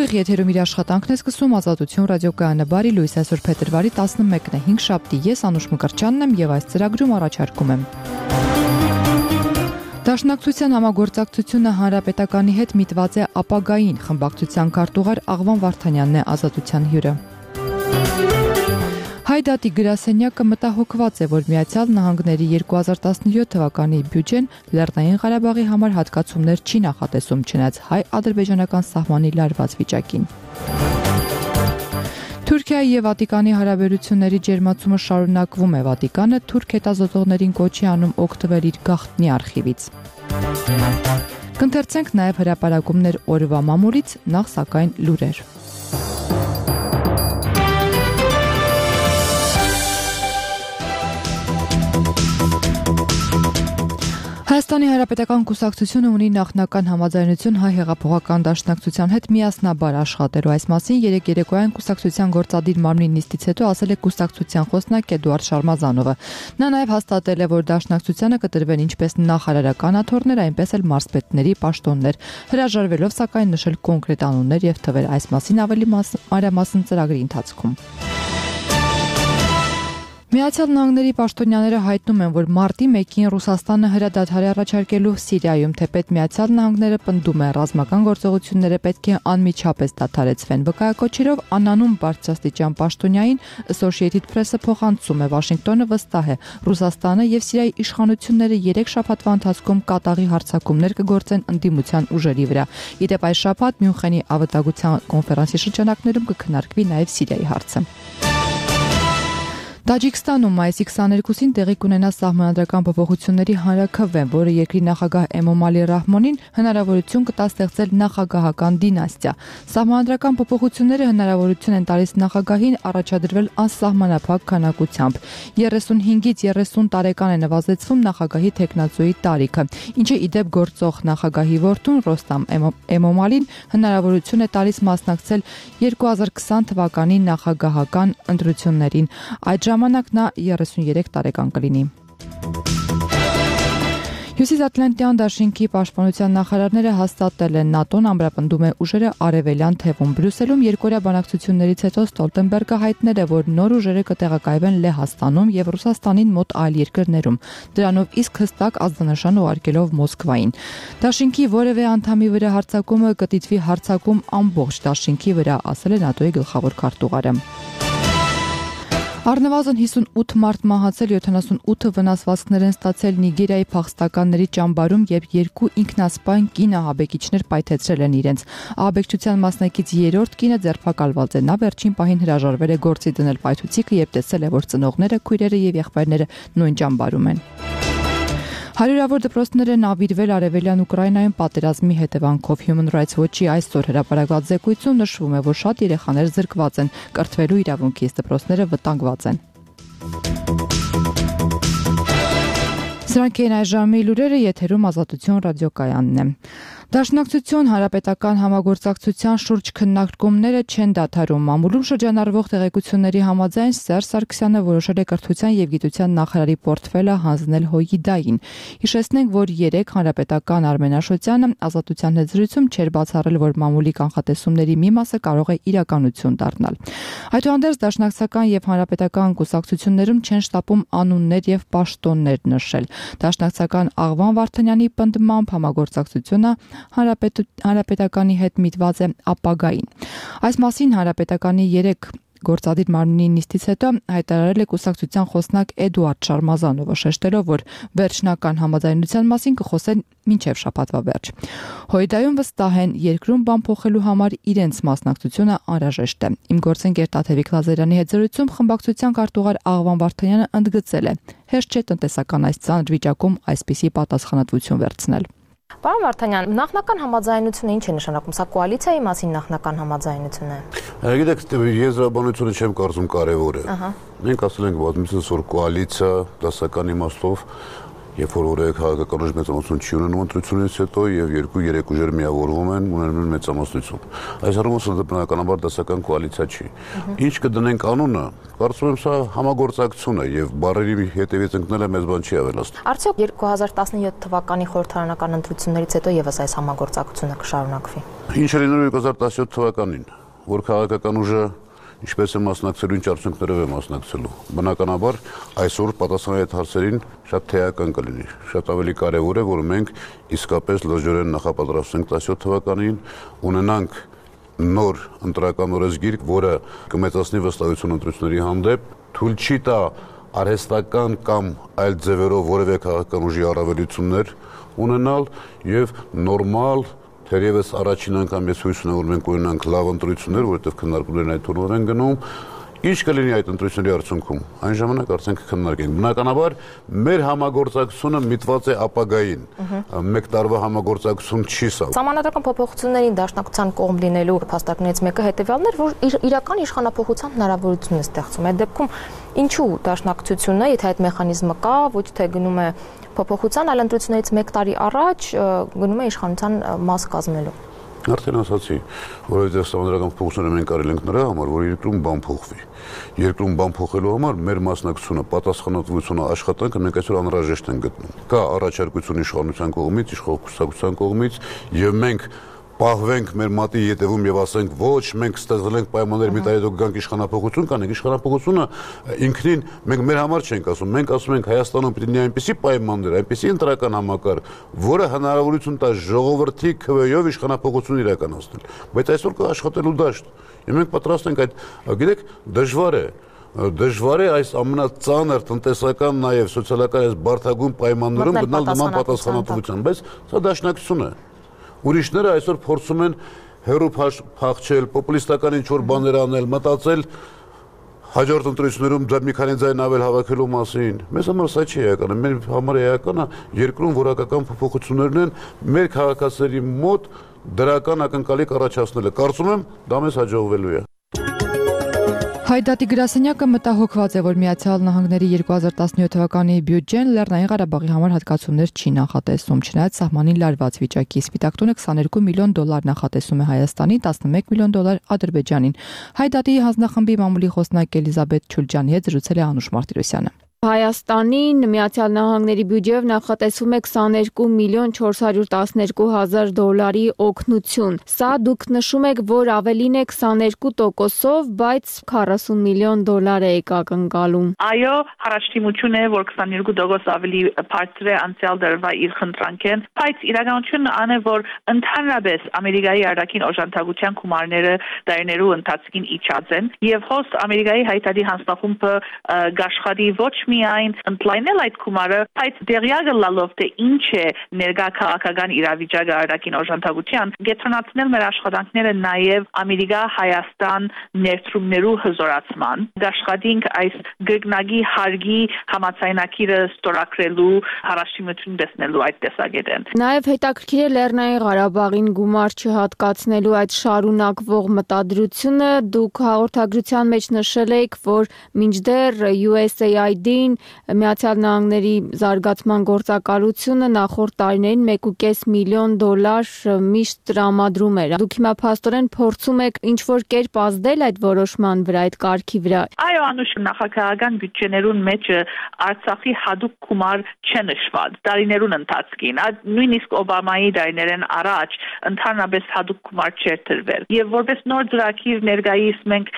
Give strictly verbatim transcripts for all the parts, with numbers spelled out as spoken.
Ուղիղ եթերում իր աշխատանքն է սկսում Ազատություն ռադիոկայանը։ Բարի լույս, այսօր փետրվարի տասնմեկն է, հինգշաբթի, ես Անուշ Մկրտչյանն եմ եւ այս ծրագրում առաջարկում եմ. Դաշնակցության համագործակցությունը Հանրապետականի հետ միտված է ապագային, խմբակցության քարտուղար Աղվան Վարդանյանն է Ազատության հյուրը։ Հայդատի գրասենյակը մտահոգված է, որ Միացյալ Նահանգների երկու հազար տասնյոթ թվականի բյուջեն Լեռնային Ղարաբաղի համար հատկացումներ չի նախատեսում, չնայած հայ-ադրբեջանական սահմանի լարված վիճակին։ Թուրքիայի եւ Վատիկանի հարաբերությունների ջերմացումը շարունակվում է։ Վատիկանը թուրք հետազոտողներին կոչի անում օգտվել իր գաղտնի արխիվից։ Կընթերցենք նաեւ հրապարակումներ օրվա մամուլից, նախ սակայն լուրեր։ Հայաստանի Հանրապետական կուսակցությունը ունի նախնական համաձայնություն հայ հեղափոխական դաշնակցության հետ միասնաբար աշխատելու։ Այս մասին երեկ երեկոյան կուսակցության գործադիր մարմնի նիստից հետո ասել է կուսակցության խոսնակ Էդուարդ Շարմազանովը։ Նա նաև հաստատել է, որ դաշնակցությանը կտրվեն ինչպես նախարարական աթոռներ, այնպես էլ մարզպետների պաշտոններ, հրաժարվելով սակայն նշել կոնկրետ անուններ եւ թվեր։ Այս մասին ավելի մանրամասն ծրագրի ընթացքում։ Միացյալ Նահանգների պաշտոնյաները հայտնում են, որ մարտի մեկին Ռուսաստանը հրադադար է առաջարկելու Սիրիայում, թեպետ Միացյալ Նահանգները պնդում է, ռազմական գործողությունները պետք է անմիջապես դադարեցվեն։ Վկայակոչերով անանուն բարձրաստիճան պաշտոնյային Associated Press-ը փոխանցում է, Վաշինգտոնը վստահ է, Ռուսաստանը եւ Սիրիայի իշխանությունները երեք շաբաթվա ընթացքում կատաղի հարձակումներ կգործեն ընդդիմության ուժերի վրա։ Իդեպ այս շաբաթ Մյունխենի ավտագության կոնֆերանսի շրջանակներում կքննարկվի նաեւ Սիրիայի հարցը։ Տաջիկստանում մայիսի քսաներկուսին տեղի կունենա սահմանադրական փոփոխությունների հանրաքվե, որը երկրի նախագահ Էմոմալի Ռահմոնին հնարավորություն կտա ստեղծել նախագահական դինաստիա։ Սահմանադրական փոփոխությունները հնարավորություն են տալիս նախագահին առաջադրվել անսահմանափակ քանակությամբ։ երեսունհինգից երեսուն տարեկան է նվազեցվում նախագահի թեկնածուի տարիքը, ինչը իդեպ գործող նախագահի որդուն Ռոստամ Էմոմալին հնարավորություն է տալիս մասնակցել երկու հազար քսան թվականի նախագահական ընտրություններին։ Այդ ժամանակ նա երեսունյերեք տարեկան կլինի։ Հյուսիսատլանտյան դաշինքի պաշտպանության նախարարները հաստատել են ՆԱՏՕ-ն ամրապնդում է ուժերը արևելյան թևում։ Բրյուսելում երկօրյա բանակցություններից հետո Ստոլտենբերգը հայտնել է, որ նոր ուժերը կտեղակայվեն Լեհաստանում եւ Ռուսաստանին մոտ այլ երկրներում, դրանով իսկ հստակ ազդանշան ուղարկելով Մոսկվային։ Դաշինքի որևէ անդամի վրա հարձակումը կդիտվի հարձակում ամբողջ դաշինքի վրա, ասել է ՆԱՏՕ-ի գլխավոր քարտուղարը։ Առնվազն հիսունութ մարդ մահացել, յոթանասունութը վնասվածքներ են ստացել Նիգերիայի փախստականների ճամբարում, երբ երկու ինքնասպան կին ահաբեկիչներ պայթեցրել են իրենց։ Ահաբեկչության մասնակից երրորդ կինը ձերբակալված է։ Նա վերջին պահին հրաժարվել է գործի դնել պայթուցիկը, երբ տեսել է, որ ծնողները, քույրերը եւ եղբայրները նույն ճամբարում են։ Հարյուրավոր դպրոցներ են ավիրվել արևելյան Ուկրաինայում պատերազմի հետևանքով։ Human Rights Watch-ի այսօր հրապարակված զեկույցում նշվում է, որ շատ երեխաներ զրկված են, կրթվելու իրավունքից, դպրոցները վտանգված են։ Սրանք են այս ժամի լուրերը, եթերում Ազատություն ռադիոկայանն է։ Դաշնակցություն Հանրապետական համագործակցության շուրջ քննարկումները չեն դադարում։ Մամուլում շրջանառվող տեղեկությունների համաձայն Սերժ Սարգսյանը որոշել է կրթության եւ գիտության նախարարի պորտֆելը հանձնել ՀՅԴ-ին։ Հիշեցնենք, որ երեք Հանրապետական Արմեն Աշոտյանը Ազատության հետ զրույցում չէր բացառել, որ մամուլի կանխատեսումների մի մասը կարող է իրականություն դառնալ։ Այդուհանդերձ դաշնակցական եւ հանրապետական կուսակցություններում չեն շտապում անուններ եւ պաշտոններ նշել։ Դաշնակցական Աղվան Վարդանյանի պնդմամբ համագործակցությունը Հանրապետականի հետ միտված է ապագային։ Այս մասին Հանրապետականի երեք գործադիր մարմնի նիստից հետո հայտարարել է կուսակցության խոսնակ Էդուարդ Շարմազանովը, շեշտելով, որ վերջնական համաձայնության մասին կխոսեն մինչև շաբաթվա վերջ։ ՀՅԴ-ում վստահ են, երկրում բան փոխելու համար իրենց մասնակցությունը անհրաժեշտ է։ Իմ գործընկեր Տաթևիկ Լազարյանի հետ զրույցում խմբակցության քարտուղար Աղվան Վարդանյանը ընդգծել է. հեշտ չէ տնտեսական այս ծանր վիճակում այսպիսի պատասխանատվություն վերցնել։ Պարոն Վարդանյան, նախնական համաձայնությունը ինչ է նշանակում, սա կոալիցիայի մասին նախնական համաձայնություն է։ Գիտեք, եզրաբանությունը չեմ կարծում կարևոր է։ Մենք ասել ենք բազմիցս, որ կոալիցիա դասական իմաստով երբ որ որևէ քաղաքական ուժ մեծամասնություն չի ունենում ընտրությունից հետո եւ երկու երեք ուժեր միավորվում են, ունենում են մեծամասնություն։ Այս առումով դա բնականաբար դասական կոալիցիա չի։ Ինչ կդնենք անունը, կարծում եմ սա համագործակցություն է եւ բարերի հետեւից ընկնելը մեծ բան չի ավելացնում։ Արդյոք երկու հազար տասնյոթ թվականի խորհրդարանական ընտրություններից հետո եւս այս համագործակցությունը կշարունակվի։ Ինչ է լինելու երկու հազար տասնյոթ թվականին, որ քաղաքական ուժը ինչպես է մասնակցելու, ինչ արդյունքներով է մասնակցելու։ Բնականաբար այսօր պատասխանել այդ հարցերին շատ թեական կլինի։ Շատ ավելի կարևոր է, որ մենք իսկապես լրջորեն նախապատրաստենք տասնյոթ թվականին, ունենանք նոր ընտրական օրենսգիր, որը կմեծացնի վստահություն ընտրությունների հանդեպ, թույլ չի տա արհեստական կամ այլ ձևերով որևէ քաղաքական ուժի առավելություններ ունենալ եւ նորմալ Թերևս առաջին անգամ ես հույս ունեմ, որ մենք ունենանք լավ ընտրություններ, որովհետև քննարկումներն այդ թուրմով են գնում։ Ինչ կլինի այդ ընտրությունների արդյունքում։ Այն ժամանակ արդեն կքննարկենք։ Բնականաբար մեր համագործակցությունը միտված է ապագային։ Մեկ տարվա համագործակցություն չի սա։ Սահմանադրական փոփոխություններին դաշնակցության կողմ լինելու փաստարկներից մեկը հետևյալն էր, որ իր, իրական իշխանափոխության հնարավորություն է ստեղծում։ Այդ դեպքում ինչու դաշնակցությունը, եթե այդ մեխանիզմը կա, ոչ թե գնում է փոփոխության, այլ ընտրություններից մեկ տարի առաջ գնում է իշխանության մաս կազմելու։ Արդեն ասացի, որովհետև սահմանադրական փոփոխությունները մենք արել ենք նրա համար, որ երկրում բան փոխվի։ Երկրում բան փոխելու համար մեր մասնակցությունը, պատասխանատվությունը, աշխատանքը մենք այսօր անհրաժեշտ ենք գտնում։ Կա առաջարկություն իշխանության կողմից, իշխանության կողմից, եւ մենք պահվենք մեր մատի ետևում եւ ասենք ոչ, մենք ստեղծել ենք պայմաններ մի տարի հետո գանք իշխանապողություն կանենք, իշխանապողությունը ինքնին մենք մեր համար չենք ասում, մենք ասում ենք Հայաստանում պետք է այնպիսի պայմաններ, այնպիսի ընտրական համակարգ, որը հնարավորություն տա ժողովրդի քվեով իշխանապողություն իրականացնել, բայց այսօր կա աշխատելու դաշտ, եւ մենք պատրաստ ենք այդ, գիտեք, դժվար է Դժվար է այս ամենածանր տնտեսական նաեւ սոցիալական այս բարդագույն պայմաններում գտնալ նման պատասխանատվության, բայց սա դաշնակցություն է։ Ուրիշները այսօր փորձում են հերո փախչել, պոպուլիստական ինչ-որ բաներ անել, մտածել հաջորդ ընտրություններում դա մի քանի ձայն ավել հավաքելու մասին։ Մեզ համար սա չի էականը, մեր համար էականը երկրում որակական փոփոխություններն են մեր քաղաքացիների մոտ դրական ակնկալիք առաջացնելը։ Կարծում եմ դա մեզ հաջողվելու է։ Հայդատի գրասենյակը մտահոգված է, որ Միացյալ Նահանգների երկու հազար տասնյոթ թվականի բյուջեն Լեռնային Ղարաբաղի համար հատկացումներ չի նախատեսում, չնայած սահմանին լարված վիճակի։ Սպիտակ տունը քսաներկու միլիոն դոլար նախատեսում է Հայաստանին, տասնմեկ միլիոն դոլար Ադրբեջանին։ Հայդատի հանձնախմբի մամուլի խոսնակ Էլիզաբեթ Չուլջանի հետ զրուցել է Անուշ Մարտիրոսյանը։ Հայաստանին Միացյալ Նահանգների բյուջեով նախատեսվում է քսաներկու միլիոն չորս հարյուր տասներկու հազար դոլարի օգնություն։ Սա դուք նշում եք, որ ավելին է քսաներկու տոկոսով, բայց քառասուն միլիոն դոլար է ակնկալում։ Այո, առաջադիմություն է, որ քսաներկու տոկոս ավելի բարձր է անցյալ դարվա իր խնդրանքեն, բայց իրականությունն այն է, որ ընդհանրապես Ամերիկայի արտաքին օժանդակության գումարները դարերու ընթացքին իջած են, եւ հոս Ամերիկայի հայտարարի հանձնախումբը գաշխատի ոչ միայն ընդլայնել այդ գումարը, բայց դերյակը լալով թե ինչ է ներկա քաղաքական իրավիճակը արտաքին օժանդակության, գետրոնացնել մեր աշխատանքները նաև Ամերիկա-Հայաստան ներդրումներու հզորացման, գաշխատինք այս գրգնագի հարգի համաձայնագիրը ստորագրելու հարաշիմություն տեսնելու այդ տեսակետեն։ Նաև հետաքրքիր է Լեռնային Ղարաբաղին գումար չհատկացնելու այդ շարունակվող մտադրությունը, դուք հաղորդագրության մեջ նշել եք, որ մինչդեռ յու էս էյ այ դին Միացյալ Նահանգների զարգացման գործակալությունը նախորդ տարիներին մեկ ու կես միլիոն դոլար միշտ տրամադրում էր։ Դուք հիմա փաստորեն փորձում եք ինչ-որ կերպ ազդել այդ որոշման վրա, այդ կարգի վրա։ Այո, անուշ նախագահական բյուջեներուն մեջ Արցախի հadoop գումար չնշված տարիներուն ընթացքին, նույնիսկ Օբամայի տարիներեն առաջ ընդհանրապես հadoop գումար չէր տրվել։ Եվ որպես նոր ծրագիր ներկայիս մենք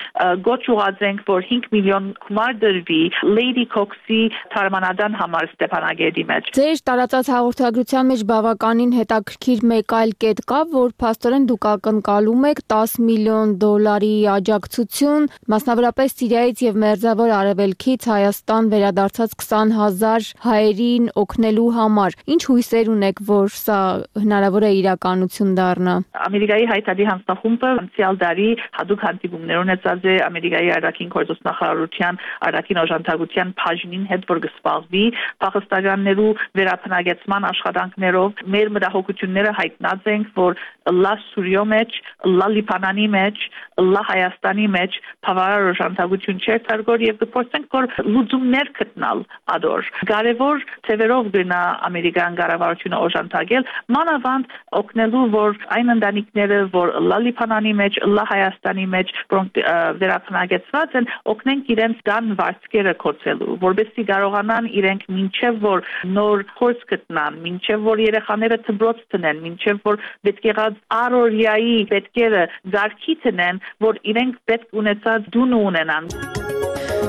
գոչ ուղղացենք, որ հինգ միլիոն գումար դրվի Lady Cox-ի թարմանադան համար Ստեփանագերդի մեջ։ Ձեր տարածած հաղորդագրության մեջ բավականին հետաքրքիր մեկ այլ կետ կա, որ փաստորեն դուք ակնկալում եք տասը միլիոն դոլարի աջակցություն, մասնավորապես Սիրիայից եւ Մերձավոր Արևելքից Հայաստան վերադարձած քսան հազար հայերին օգնելու համար։ Ինչ հույսեր ունեք, որ սա հնարավոր է իրականություն դառնա։ Ամերիկայի հայտարարի հանձնախումբը անցյալ տարի հadoop հանդիպումներ ունեցած է Ամերիկայի արտաքին գործոստնախարարության արտաքին օժանդակության բաժնին հետ որ գսպալվի փախստականներու վերապնագեցման աշխատանքներով մեր մտահոգությունները հայտնած ենք որ լա Սուրիո մեջ, լա Լիբանանի մեջ, լա Հայաստանի մեջ բավարար օժանդակություն չէր թարգոր եւ դպրոցենք որ լուծումներ գտնալ ադոր կարևոր թեվերով գնա ամերիկյան կառավարությունը օժանդակել մանավանդ օգնելու որ այն ընտանիքները որ լա Լիբանանի մեջ, լա Հայաստանի մեջ որոնք վերապնագեցված են օգնենք իրենց դան վարձկերը կոչելու որովհետեւ կարողանան իրենք մինչեւ որ նոր փորձ գտնան մինչեւ որ երեխաները դպրոց տնեն մինչեւ որ պետք եղած արորիայի պետքերը զարգի տնեն որ իրենք պետք ունեցած դուն ունենան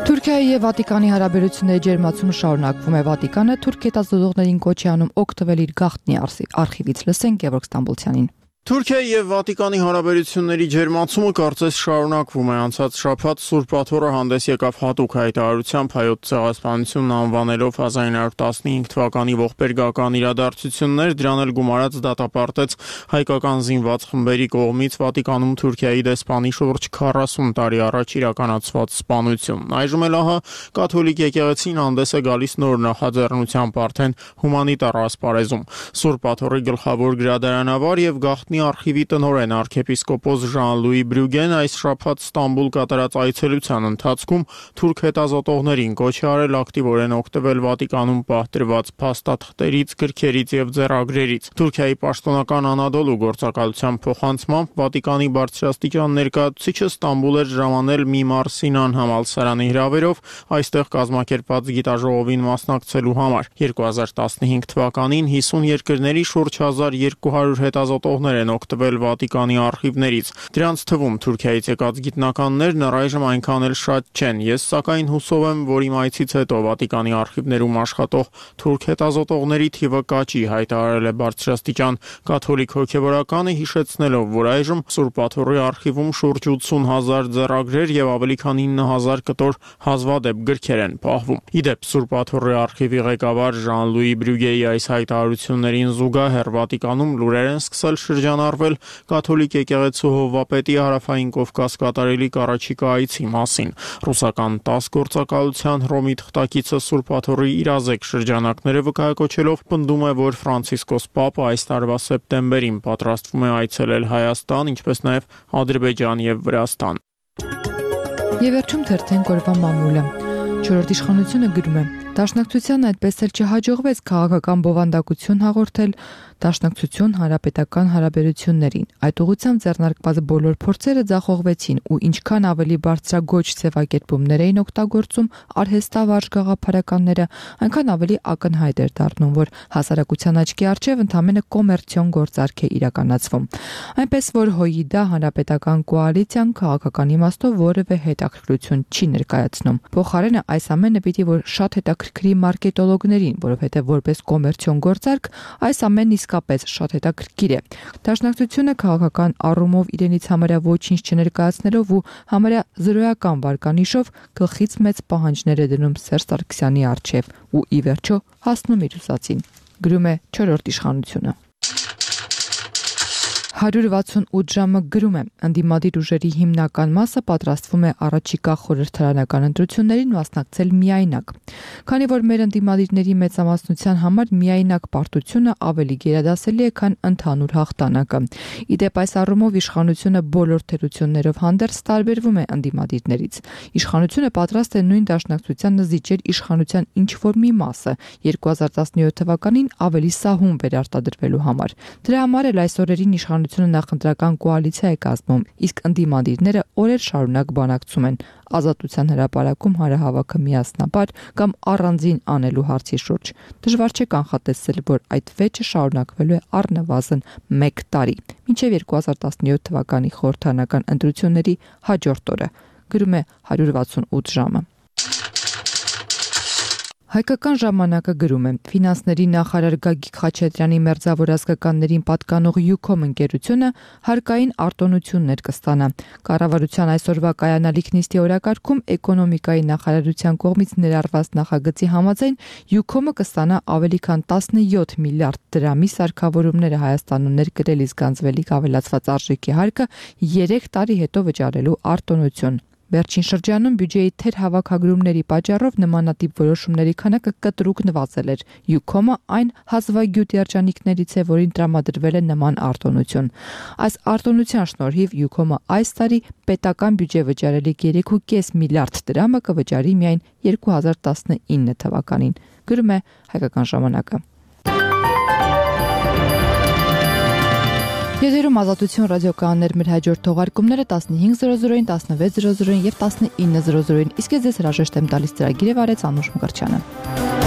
Թուրքիայի եւ Վատիկանի հարաբերությունների ջերմացումը շարունակվում է Վատիկանը թուրք հետազոտողներին կոչ է անում օգտվել իր գաղտնի արխիվից լսենք Գևորգ Ստամբոլցյանին Թուրքիայի եւ Վատիկանի հարաբերությունների ջերմացումը կարծես շարունակվում է անցած շաբաթ Սուրբ Աթոռը հանդես եկավ հատուկ հայտարարությամբ հայոց ցեղասպանությունն անվանելով հազար ինը հարյուր տասնհինգ թվականի ողբերգական իրադարձություններ դրան էլ գումարած դատապարտեց հայկական զինված խմբերի կողմից Վատիկանում Թուրքիայի դեսպանի շուրջ քառասուն տարի առաջ իրականացված սպանությունն այժմ էլ ահա կաթոլիկ եկեղեցին հանդես է գալիս նոր նախաձեռնությամբ արդեն հումանիտար ասպարեզում Սուրբ Աթոռի գլխավոր գրադարանավար եւ գաղտնի արխիվի տնօրեն arczepiskopos Jean-Louis Bruggen այս շաբաթ Ստամբուլ կատարած այցելության ընթացքում թուրք հետազոտողներին կոչ է արել ակտիվորեն օգտվել Վատիկանում պահտրված փաստաթղթերից, գրքերից եւ ձեռագրերից։ Թուրքիայի պաշտոնական Անադոլու գործակալության փոխանցմամբ Վատիկանի բարձրաստիճան ներկայացուցիչը Ստամբուլ էր ժամանել մի Մարսինան համալսարանի հրավերով այստեղ կազմակերպված գիտաժողովին մասնակցելու համար։ երկու հազար տասնհինգ թվականին հիսուն երկրների շուրջ հազար երկու հարյուր հետազոտողներ են օգտվել Վատիկանի արխիվներից։ Դրանց թվում Թուրքիայից եկած գիտնականներն առայժմ այնքան էլ շատ չեն։ Ես սակայն հուսով եմ, որ իմ այցից հետո Վատիկանի արխիվներում աշխատող թուրք հետազոտողների թիվը կաճի, հայտարարել է բարձրաստիճան կաթոլիկ հոգևորականը, հիշեցնելով, որ այժմ Սուրբ Աթոռի արխիվում շուրջ ութսուն հազար ձեռագրեր եւ ավելի քան ինը հազար կտոր հազվադեպ գրքեր են պահվում։ Իդեպ Սուրբ Աթոռի արխիվի ղեկավար Jean-Louis Bruggen-ի այս հայտարարություններին զուգահեռ Վատիկանում լուրեր են սկսել շրջանառվել կաթոլիկ եկեղեցու հովվապետի հարավային Կովկաս կատարելիք առաջիկա այցի մասին։ Ռուսական տաս գործակալության Հռոմի թղթակիցը Սուրբ Աթոռի իրազեկ շրջանակները վկայակոչելով պնդում է, որ Ֆրանցիսկոս Պապը այս տարվա սեպտեմբերին պատրաստվում է այցելել Հայաստան, ինչպես նաև Ադրբեջան եւ Վրաստան։ Եվ վերջում թերթենք օրվա մամուլը։ Չորրորդ իշխանությունը գրում է. Դաշնակցությանն այդպես էլ չհաջողվեց քաղաքական բովանդակություն հաղորդել Դաշնակցություն հանրապետական հարաբերություններին։ Այդ ուղղությամբ ձեռնարկված բոլոր փորձերը ձախողվեցին ու ինչքան ավելի բարձրագույն ձևակերպումներ էին օգտագործում արհեստավարժ գաղափարականները, այնքան ավելի ակնհայտ էր դառնում, որ հասարակության աչքի առջև ընդամենը կոմերցիոն գործարք է իրականացվում։ Այնպես որ ՀՅԴ հանրապետական կոալիցիան քաղաքական իմաստով որևէ հետաքրքրություն չի ներկայացնում։ Փոխարենը այս ամենը պիտի որ շատ հետաքրքրի մարքետոլոգներին, որովհետև որպես կոմերցիոն գործարք այս ամենն իսկապես շատ հետաքրքիր է։ Դաշնակցությունը քաղաքական առումով իրենից համարյա ոչինչ չներկայացնելով ու համարյա զրոյական վարկանիշով գլխից մեծ պահանջներ է դնում Սերժ Սարգսյանի առջև ու ի վերջո հասնում իր ուսածին։ Գրում է չորրորդ իշխանությունը։ հարյուր վաթսունութ ժամը գրում է. ընդդիմադիր ուժերի հիմնական մասը պատրաստվում է առաջիկա խորհրդարանական ընտրություններին մասնակցել միայնակ։ Քանի որ մեր ընդդիմադիրների մեծամասնության համար միայնակ պարտությունը ավելի գերադասելի է, քան ընդհանուր հաղթանակը։ Իդեպ այս առումով իշխանությունը բոլոր թերություններով հանդերձ տարբերվում է ընդդիմադիրներից։ Իշխանությունը պատրաստ է նույն դաշնակցությանը զիջել իշխանության ինչ-որ մի մասը երկու հազար տասնյոթ թվականին ավելի սահուն վերարտադրվելու համար։ Դրա համար էլ այս օրերին իշխանությունը նախընտրական կոալիցիա է կազմում, իսկ ընդդիմադիրները օրեր շարունակ բանակցում են ազատության հրապարակում հանրահավաքը միասնաբար կամ առանձին անելու հարցի շուրջ։ Դժվար չէ կանխատեսել, որ այդ վեճը շարունակվելու է առնվազն մեկ տարի, մինչև երկու հազար տասնյոթ թվականի խորհրդարանական ընտրությունների հաջորդ օրը, գրում է հարյուր վաթսունութ ժամը։ Հայկական ժամանակը գրում է. Ֆինանսների նախարար Գագիկ Խաչատրյանի մերձավոր ազգականներին պատկանող Յուքոմ ընկերությունը հարկային արտոնություններ կստանա։ Կառավարության այսօրվա կայանալիք նիստի օրակարգում էկոնոմիկայի նախարարության կողմից ներառված նախագծի համաձայն Յուքոմը կստանա ավելի քան տասնյոթ միլիարդ դրամի սարքավորումները Հայաստանում ներկրել իսկ գանձվելիք ավելացված արժեքի հարկը երեք տարի հետո վճարելու արտոնություն։ Վերջին շրջանում բյուջեի թերհավաքագրումների պատճառով նմանատիպ որոշումների քանակը կտրուկ նվազել էր։ Յուքոմը այն հազվագյուտ երջանիկներից է, որին տրամադրվել է նման արտոնություն։ Այս արտոնության շնորհիվ Յուքոմը այս տարի պետական բյուջե վճարելիք երեք կόμμα պենս միլիարդ դրամը կվճարի միայն երկու հազար տասնինը թվականին, գրում է Հայկական ժամանակը։ Եթերում Ազատություն ռադիոկայաններ, մեր հաջորդ թողարկումները տասնհինգ զրո զրոին, տասնվեց զրո զրոին և տասնինը զրո զրոին, իսկ ես ձեզ հրաժեշտ եմ տալիս ծրագիրը վարեց Անուշ Մկրտչյանը։